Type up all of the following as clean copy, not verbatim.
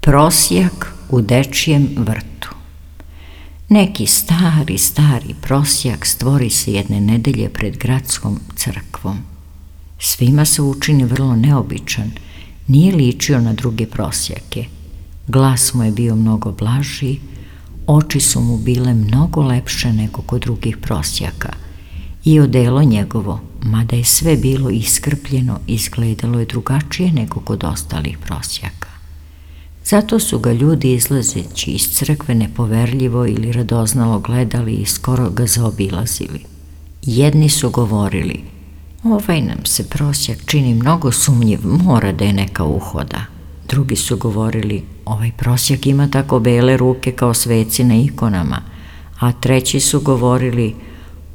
Prosjak u dečijem vrtu. Neki stari prosjak stvori se jedne nedelje pred gradskom crkvom. Svima se učini vrlo neobičan, nije ličio na druge prosjake. Glas mu je bio mnogo blaži, oči su mu bile mnogo lepše nego kod drugih prosjaka i odelo njegovo, mada je sve bilo iskrpljeno, izgledalo je drugačije nego kod ostalih prosjaka. Zato su ga ljudi izlazeći iz crkve nepoverljivo ili radoznalo gledali i skoro ga zaobilazili. Jedni su govorili: ovaj nam se prosjak čini mnogo sumnjiv, mora da je neka uhoda. Drugi su govorili: ovaj prosjak ima tako bele ruke kao sveci na ikonama. A treći su govorili: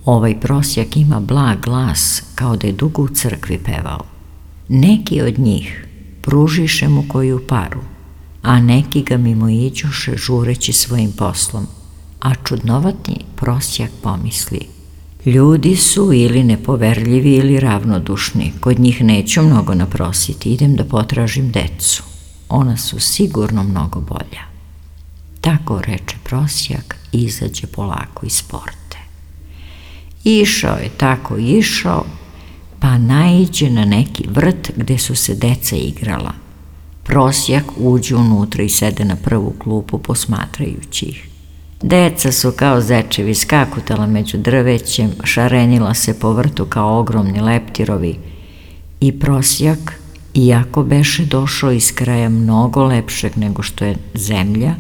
ovaj prosjak ima blag glas kao da je dugo u crkvi pevao. Neki od njih pružiše mu koju paru, a neki ga mimoiđoše žureći svojim poslom, a čudnovatni prosjak pomisli: ljudi su ili nepoverljivi ili ravnodušni, kod njih neću mnogo naprositi, idem da potražim decu, ona su sigurno mnogo bolja. Tako reče prosjak i izađe polako iz porte. Išao je tako išao, pa naiđe na neki vrt gde su se deca igrala. Prosjak uđe unutra i sede na prvu klupu posmatrajući ih. Deca su kao zečevi skakutala među drvećem, šarenila se po vrtu kao ogromni leptirovi i prosjak, iako beše došao iz kraja mnogo lepšeg nego što je zemlja,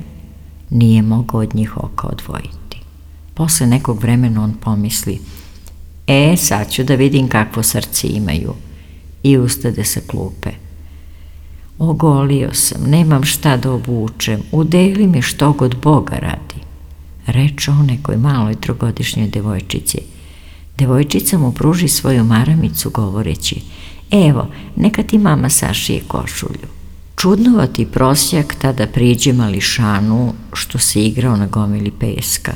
nije mogao od njih oka odvojiti. Posle nekog vremena on pomisli: sad ću da vidim kakvo srce imaju, i ustade sa klupe. Ogolio sam, nemam šta da obučem, udeli mi što god Boga radi, reče on nekoj maloj trogodišnjoj devojčici. Devojčica mu pruži svoju maramicu govoreći: evo, neka ti mama sašije košulju. Čudnovati prosjak tada priđe mališanu što se igrao na gomili peska.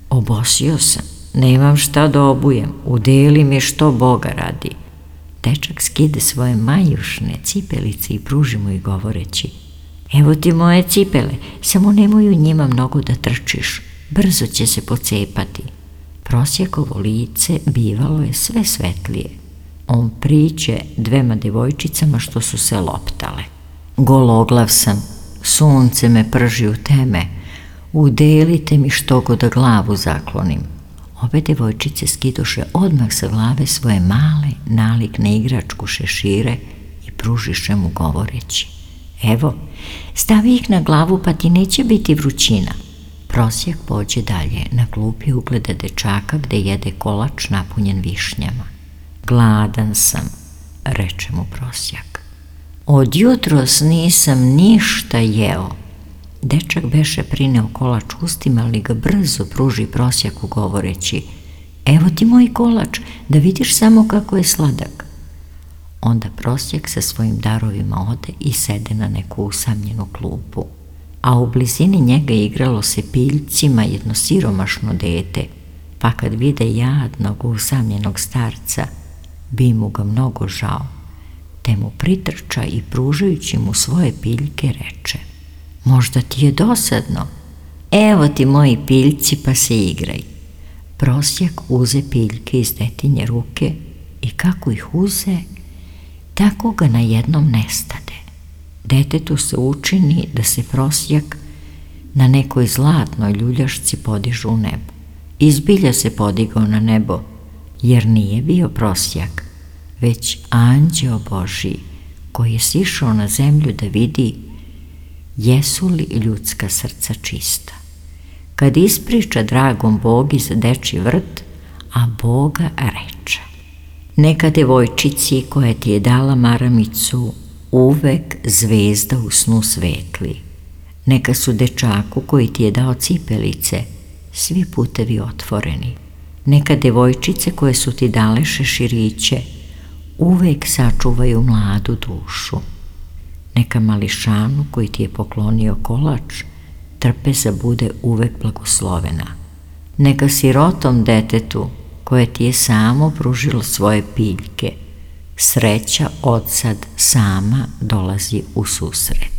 Obosio sam, nemam šta da obujem, udeli mi što Boga radi. Dečak skide svoje majušne cipelice i pruži mu ih govoreći: evo ti moje cipele, samo nemoj u njima mnogo da trčiš, brzo će se pocepati. Prosjakovo lice bivalo je sve svetlije. On priđe dvema devojčicama što su se loptale. Gologlav sam, sunce me prži u teme, udelite mi što god da glavu zaklonim. Obe devojčice skidoše odmah sa glave svoje male, nalikne igračku šešire i pružiše mu govoreći: evo, stavi ih na glavu pa ti neće biti vrućina. Prosjak pođe dalje, na klupi ugleda dečaka gde jede kolač napunjen višnjama. Gladan sam, reče mu prosjak. Od jutros nisam ništa jeo. Dečak beše prineo kolač ustima, ali ga brzo pruži prosjaku govoreći: evo ti moj kolač, da vidiš samo kako je sladak. Onda prosjak sa svojim darovima ode i sede na neku usamljenu klupu, a u blizini njega igralo se piljcima jedno siromašno dete, pa kad vide jadnog usamljenog starca, bi mu ga mnogo žao, te mu pritrča i pružajući mu svoje piljke reče: možda ti je dosadno, evo ti moji piljci pa se igraj. Prosjak uze piljke iz detinje ruke i kako ih uze, tako ga na jednom nestade. Detetu se učini da se prosjak na nekoj zlatnoj ljuljašci podiže u nebo. Izbilja se podigao na nebo, jer nije bio prosjak, već anđeo Božiji koji je sišao na zemlju da vidi jesu li ljudska srca čista. Kad ispriča dragom Bogi za dečji vrt, a Boga reče: neka devojčici koja ti je dala maramicu uvek zvezda u snu svetli, neka su dečaku koji ti je dao cipelice svi putevi otvoreni, neka devojčice koje su ti dale šeširiće uvek sačuvaju mladu dušu, neka mališanu koji ti je poklonio kolač trpeza bude uvek blagoslovena, neka sirotom detetu koje ti je samo pružilo svoje piljke sreća odsad sama dolazi u susret.